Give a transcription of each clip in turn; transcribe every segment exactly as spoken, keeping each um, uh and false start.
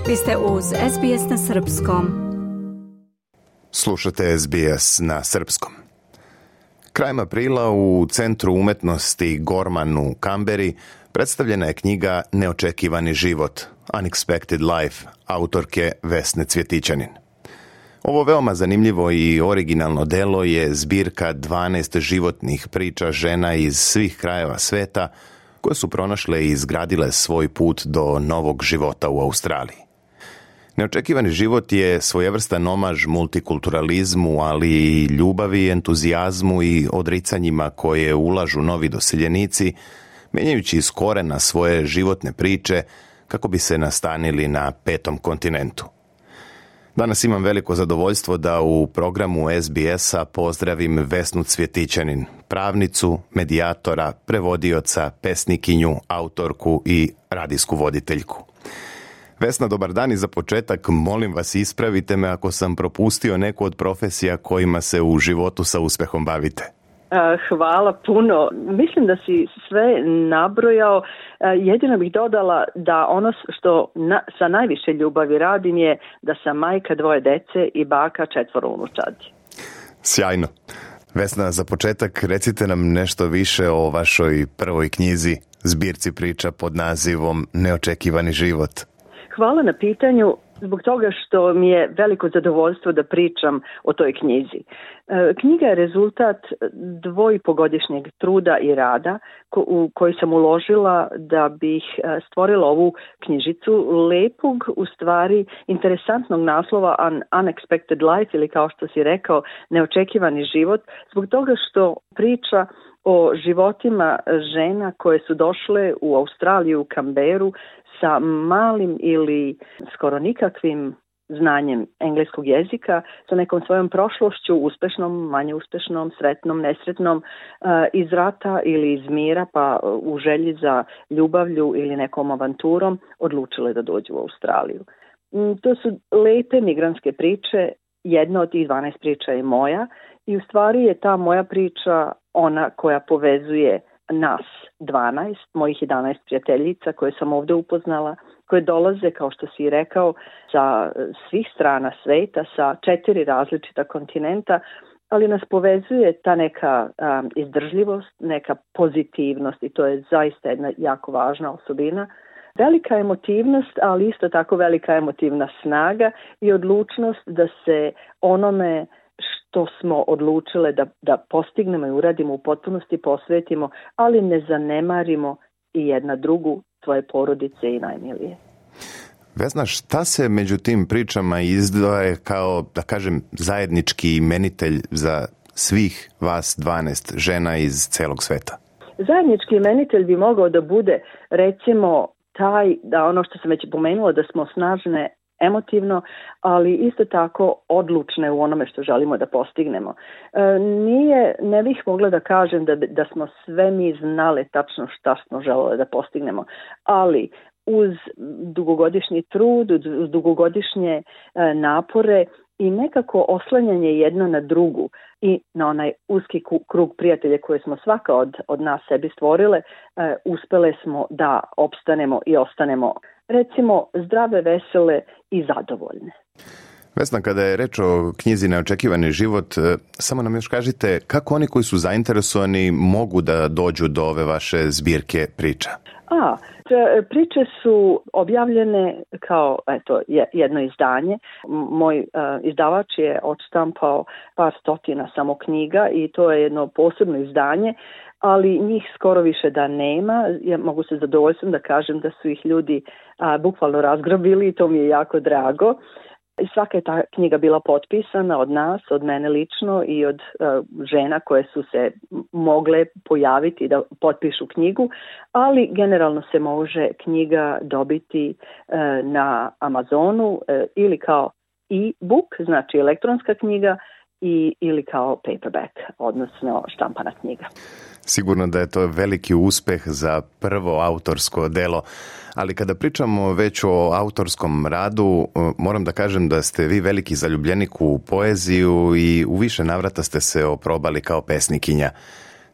Vi ste uz S B S na srpskom. Slušate S B S na srpskom. Krajem aprila u Centru umetnosti Gorman u Kamberi predstavljena je knjiga Neočekivani život, Unexpected Life, autorke Vesne Cvjetićanin. Ovo veoma zanimljivo i originalno delo je zbirka dvanaest životnih priča žena iz svih krajeva sveta koje su pronašle i izgradile svoj put do novog života u Australiji. Neočekivani život je svojevrstan omaž multikulturalizmu, ali i ljubavi, entuzijazmu i odricanjima koje ulažu novi doseljenici, menjajući iz korena svoje životne priče kako bi se nastanili na petom kontinentu. Danas imam veliko zadovoljstvo da u programu S B S-a pozdravim Vesnu Cvjetićanin, pravnicu, medijatora, prevodioca, pesnikinju, autorku i radijsku voditeljku. Vesna, dobar dan i za početak molim vas ispravite me ako sam propustio neku od profesija kojima se u životu sa uspehom bavite. Hvala puno. Mislim da si sve nabrojao. Jedino bih dodala da ono što na, sa najviše ljubavi radim je da sam majka dvoje dece i baka četvoro unučadi. Sjajno. Vesna, za početak recite nam nešto više o vašoj prvoj knjizi, zbirci priča pod nazivom Neočekivani život. Hvala na pitanju, zbog toga što mi je veliko zadovoljstvo da pričam o toj knjizi. Knjiga je rezultat dvojipogodišnjeg truda i rada u koji sam uložila da bih stvorila ovu knjižicu lepog, u stvari interesantnog naslova An Unexpected Life, ili kao što si rekao, Neočekivani život, zbog toga što priča o životima žena koje su došle u Australiju, u Kamberu, sa malim ili skoro nikakvim znanjem engleskog jezika, sa nekom svojom prošlošću, uspešnom, manje uspešnom, sretnom, nesretnom, iz rata ili iz mira, pa u želji za ljubavlju ili nekom avanturom, odlučile da dođu u Australiju. To su lepe migrantske priče, jedna od tih dvanaest priča je moja i u stvari je ta moja priča ona koja povezuje nas dvanaest, mojih jedanaest prijateljica koje sam ovdje upoznala, koje dolaze, kao što si rekao, sa svih strana sveta, sa četiri različita kontinenta, ali nas povezuje ta neka um, izdržljivost, neka pozitivnost i to je zaista jedna jako važna osobina. Velika emotivnost, ali isto tako velika emotivna snaga i odlučnost da se onome što smo odlučile da, da postignemo i uradimo u potpunosti posvetimo, ali ne zanemarimo i jedna drugu, svoje porodice i najmilije. Vesna, šta se među tim pričama izdvaja kao, da kažem, zajednički imenitelj za svih vas dvanaest žena iz celog sveta? Zajednički imenitelj bi mogao da bude, recimo, taj, da ono što sam već pomenula, da smo snažne emotivno, ali isto tako odlučne u onome što želimo da postignemo. E, nije, ne bih mogla da kažem da, da smo sve mi znale tačno šta smo želeli da postignemo, ali uz dugogodišnji trud, uz dugogodišnje e, napore i nekako oslanjanje jedno na drugu i na onaj uski krug prijatelja koje smo svaka od, od nas sebi stvorile, e, uspele smo da opstanemo i ostanemo, recimo, zdrave, vesele i zadovoljne. Vesna, kada je reč o knjizi Neočekivani život, samo nam još kažite kako oni koji su zainteresovani mogu da dođu do ove vaše zbirke priča? A, priče su objavljene kao eto, jedno izdanje. Moj uh, izdavač je odštampao par stotina samo knjiga i to je jedno posebno izdanje, ali njih skoro više da nema. Ja mogu se zadovoljstvom da kažem da su ih ljudi a, bukvalno razgrabili i to mi je jako drago. I svaka je ta knjiga bila potpisana od nas, od mene lično i od uh, žena koje su se mogle pojaviti da potpišu knjigu, ali generalno se može knjiga dobiti uh, na Amazonu uh, ili kao e-book, znači elektronska knjiga, i ili kao paperback, odnosno štampana knjiga. Sigurno da je to veliki uspeh za prvo autorsko delo, ali kada pričamo već o autorskom radu, moram da kažem da ste vi veliki zaljubljenik u poeziju i u više navrata ste se oprobali kao pesnikinja.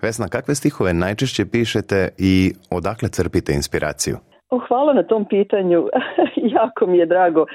Vesna, kakve stihove najčešće pišete i odakle crpite inspiraciju? O, hvala na tom pitanju. Jako mi je drago uh,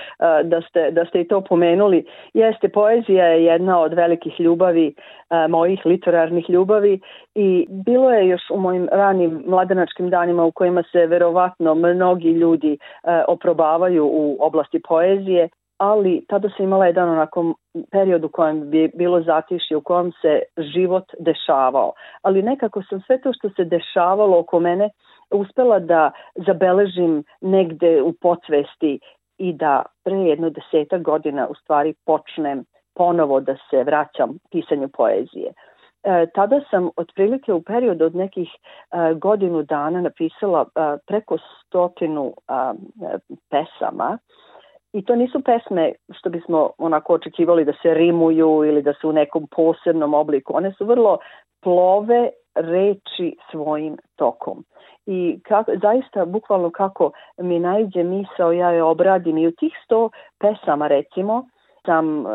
da ste, da ste i to pomenuli. Jeste, poezija je jedna od velikih ljubavi, uh, mojih literarnih ljubavi, i bilo je još u mojim ranim mladenačkim danima u kojima se verovatno mnogi ljudi uh, oprobavaju u oblasti poezije, ali tada sam imala jedan onako period u kojem bi bilo zatišje, u kojem se život dešavao. Ali nekako sam sve to što se dešavalo oko mene uspela da zabeležim negde u podsvesti i da pre jedno desetak godina u stvari počnem ponovo da se vraćam pisanju poezije. E, tada sam otprilike u periodu od nekih e, godinu dana napisala e, preko stotinu e, pesama. I to nisu pesme što bismo onako očekivali da se rimuju ili da su u nekom posebnom obliku. One su vrlo plove reči svojim tokom. I kako, zaista, bukvalno kako mi najđe misao, ja je obradim. I u tih sto pesama, recimo, sam e,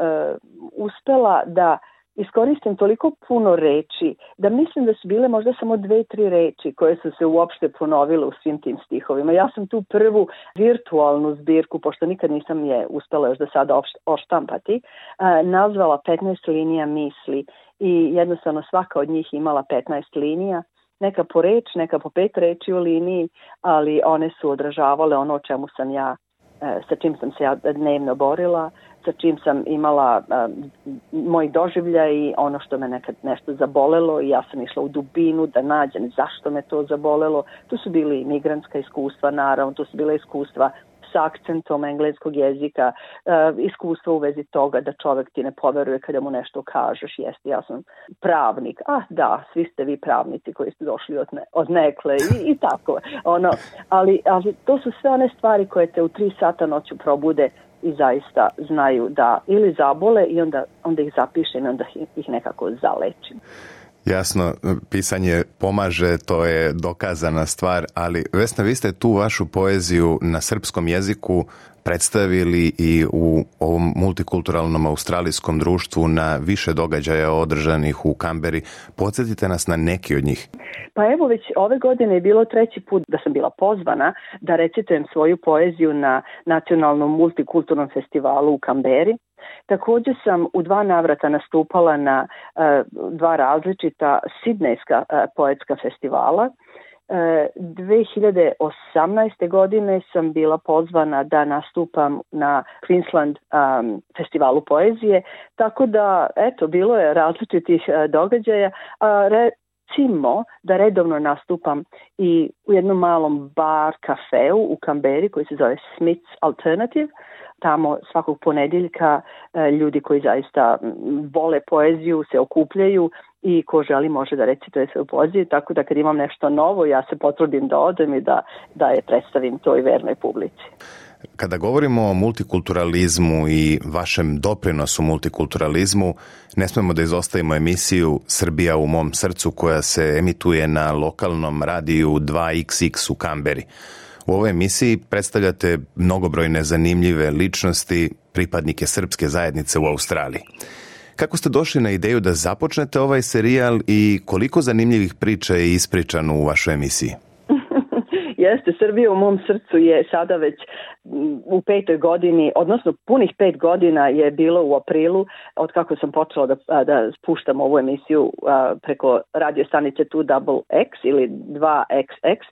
uspela da iskoristim toliko puno reči, da mislim da su bile možda samo dve, tri reči koje su se uopšte ponovile u svim tim stihovima. Ja sam tu prvu virtualnu zbirku, pošto nikad nisam je uspela još do sada oštampati, nazvala petnaest linija misli, i jednostavno svaka od njih imala petnaest linija, neka po reč, neka po pet reči u liniji, ali one su odražavale ono o čemu sam ja, sa čim sam se ja dnevno borila, sa čim sam imala uh, moj doživljaj i ono što me nekad nešto zabolelo, i ja sam išla u dubinu da nađem zašto me to zabolelo. Tu su bili migrantska iskustva, naravno, tu su bile iskustva s akcentom engleskog jezika, uh, iskustva u vezi toga da čovek ti ne poveruje kada mu nešto kažeš. Jeste, ja sam pravnik. Ah, da, svi ste vi pravnici koji ste došli od, ne, od nekle i, i tako. Ono, ali, ali to su sve one stvari koje te u tri sata noću probude i zaista znaju da ili zabole i onda, onda ih zapišem i onda ih nekako zalečim. Jasno, pisanje pomaže, to je dokazana stvar, ali Vesna, vi ste tu vašu poeziju na srpskom jeziku predstavili i u ovom multikulturalnom australijskom društvu na više događaja održanih u Kamberi. Podsjetite nas na neki od njih. Pa evo, već ove godine je bilo treći put da sam bila pozvana da recitujem svoju poeziju na nacionalnom multikulturnom festivalu u Kamberi. Također sam u dva navrata nastupala na uh, dva različita sidnejska uh, poetska festivala. dve hiljade osamnaeste. godine sam bila pozvana da nastupam na Queensland um, festivalu poezije, tako da, eto, bilo je različitih uh, događaja. A recimo da redovno nastupam i u jednom malom bar kafeu u Kamberi koji se zove Smith's Alternative. Tamo svakog ponedjeljka ljudi koji zaista vole poeziju se okupljaju i ko želi može da recituje svoju poeziju, tako da kad imam nešto novo ja se potrudim da odem i da, da je predstavim toj vernoj publici. Kada govorimo o multikulturalizmu i vašem doprinosu multikulturalizmu, ne smemo da izostavimo emisiju Srbija u mom srcu koja se emituje na lokalnom radiju dva iks iks u Kamberi. U ovoj emisiji predstavljate mnogobrojne zanimljive ličnosti, pripadnike srpske zajednice u Australiji. Kako ste došli na ideju da započnete ovaj serijal i koliko zanimljivih priča je ispričano u vašoj emisiji? Jeste, Srbija u mom srcu je sada već u petoj godini, odnosno punih pet godina je bilo u aprilu, od kako sam počela da, da puštam ovu emisiju preko radio stanice dva eks ili dva eks eks.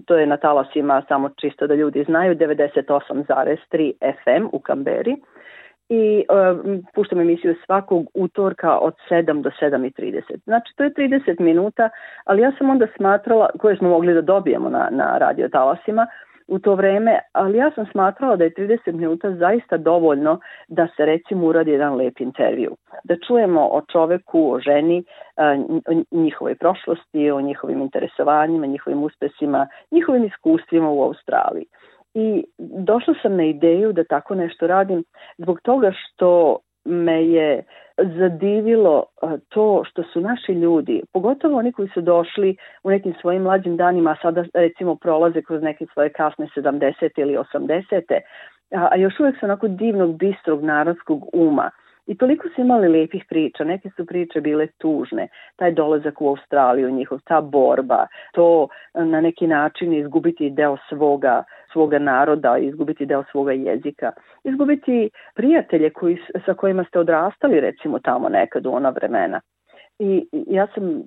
To je na talasima, samo čisto da ljudi znaju, devedeset osam zarez tri ef em u Kamberi. I uh, puštam emisiju svakog utorka od sedam do sedam i trideset. Znači, to je trideset minuta, ali ja sam onda smatrala, koje smo mogli da dobijemo na, na radio talasima u to vreme, ali ja sam smatrala da je trideset minuta zaista dovoljno da se recimo uradi jedan lep intervju. Da čujemo o čoveku, o ženi, o njihovoj prošlosti, o njihovim interesovanjima, njihovim uspesima, njihovim iskustvima u Australiji. I došla sam na ideju da tako nešto radim zbog toga što me je zadivilo to što su naši ljudi, pogotovo oni koji su došli u nekim svojim mlađim danima, a sada recimo prolaze kroz neke svoje kasne sedamdesete ili osamdesete, a još uvijek su onako divnog, bistrog narodskog uma I toliko su imali lijepih priča, neke su priče bile tužne, taj dolazak u Australiju, njihov, ta borba, to na neki način izgubiti deo svoga, svoga naroda, izgubiti deo svoga jezika, izgubiti prijatelje koji, sa kojima ste odrastali recimo tamo nekad u ona vremena. I ja sam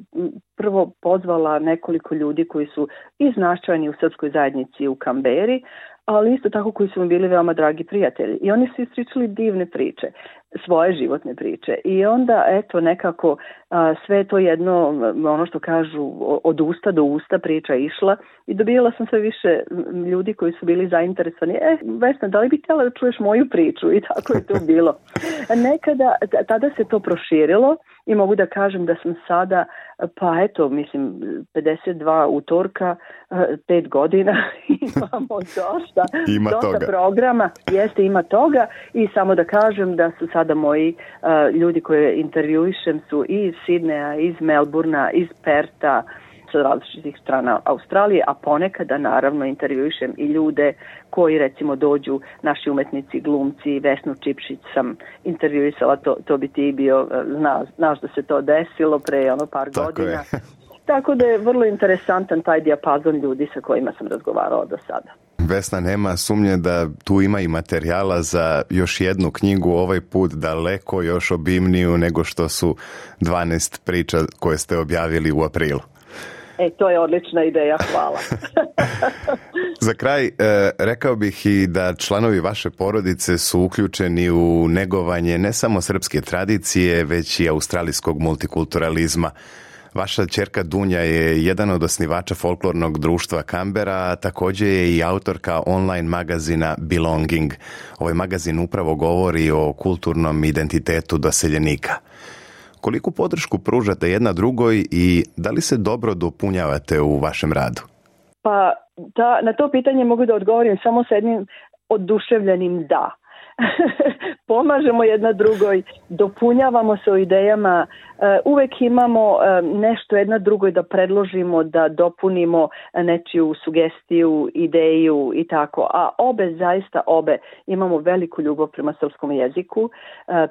prvo pozvala nekoliko ljudi koji su i značajni u srpskoj zajednici u Kamberi, ali isto tako koji su mi bili veoma dragi prijatelji. I oni su ispričali divne priče, svoje životne priče. I onda, eto, nekako a, sve to jedno, ono što kažu, od usta do usta priča išla i dobijala sam sve više ljudi koji su bili zainteresovani. E, Vesna, da li bi htjela da čuješ moju priču? I tako je to bilo. Nekada, tada se to proširilo i mogu da kažem da sam sada, pa eto, mislim, pedeset dva utorka, pet godina, imamo dosta, ima dosta toga. programa, jeste, ima toga i samo da kažem da su sada moji uh, ljudi koje intervjuišem su i iz Sidneja, iz Melburna, iz Perta, sa različitih strana Australije, a ponekada naravno intervjuišem i ljude koji recimo dođu, naši umetnici, glumci, Vesnu Čipšić sam intervjuisala, to, to bi ti bio, zna, znaš da se to desilo pre ono par Tako godina. je. Tako da je vrlo interesantan taj dijapazon ljudi sa kojima sam razgovarala do sada. Vesna, nema sumnje da tu ima i materijala za još jednu knjigu, ovaj put daleko još obimniju nego što su dvanaest priča koje ste objavili u aprilu. E, to je odlična ideja, hvala. Za kraj, e, rekao bih i da članovi vaše porodice su uključeni u negovanje ne samo srpske tradicije, već i australijskog multikulturalizma. Vaša ćerka Dunja je jedan od osnivača folklornog društva Kambera, a također je i autorka online magazina Belonging. Ovaj magazin upravo govori o kulturnom identitetu doseljenika. Koliku podršku pružate jedna drugoj i da li se dobro dopunjavate u vašem radu? Pa ta, na to pitanje mogu da odgovorim samo s jednim oduševljenim da. Pomažemo jedna drugoj, dopunjavamo se o idejama, uvek imamo nešto jedna drugoj da predložimo, da dopunimo nečiju sugestiju, ideju i tako. A obe, zaista obe, imamo veliku ljubav prema srpskom jeziku,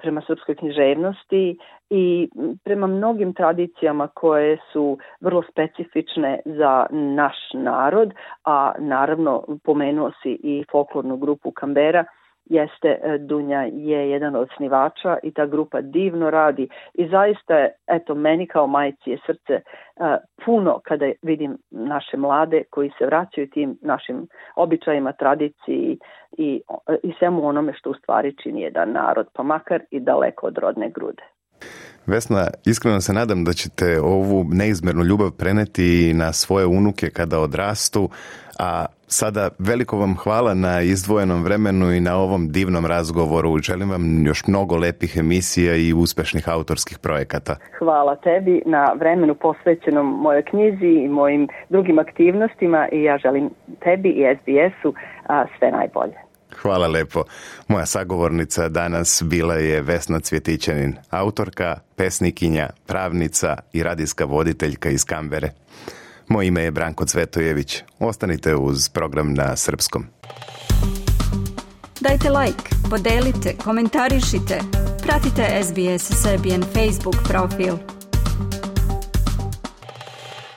prema srpskoj književnosti i prema mnogim tradicijama koje su vrlo specifične za naš narod, a naravno pomenuo si i folklornu grupu Kambera. Jeste, Dunja je jedan od osnivača i ta grupa divno radi i zaista je, eto, meni kao majci je srce uh, puno kada vidim naše mlade koji se vraćaju tim našim običajima, tradiciji i, i svemu onome što u stvari čini jedan narod, pa makar i daleko od rodne grude. Vesna, iskreno se nadam da ćete ovu neizmjernu ljubav preneti na svoje unuke kada odrastu, a sada veliko vam hvala na izdvojenom vremenu i na ovom divnom razgovoru. Želim vam još mnogo lepih emisija i uspešnih autorskih projekata. Hvala tebi na vremenu posvećenom mojoj knjizi i mojim drugim aktivnostima i ja želim tebi i es be esu a, sve najbolje. Hvala lepo. Moja sagovornica danas bila je Vesna Cvjetićanin, autorka, pesnikinja, pravnica i radijska voditeljka iz Kambere. Moje ime je Branko Cvetojević. Ostanite uz program na srpskom. Dajte like, podelite, komentarišite. Pratite es be es Serbian Facebook profil.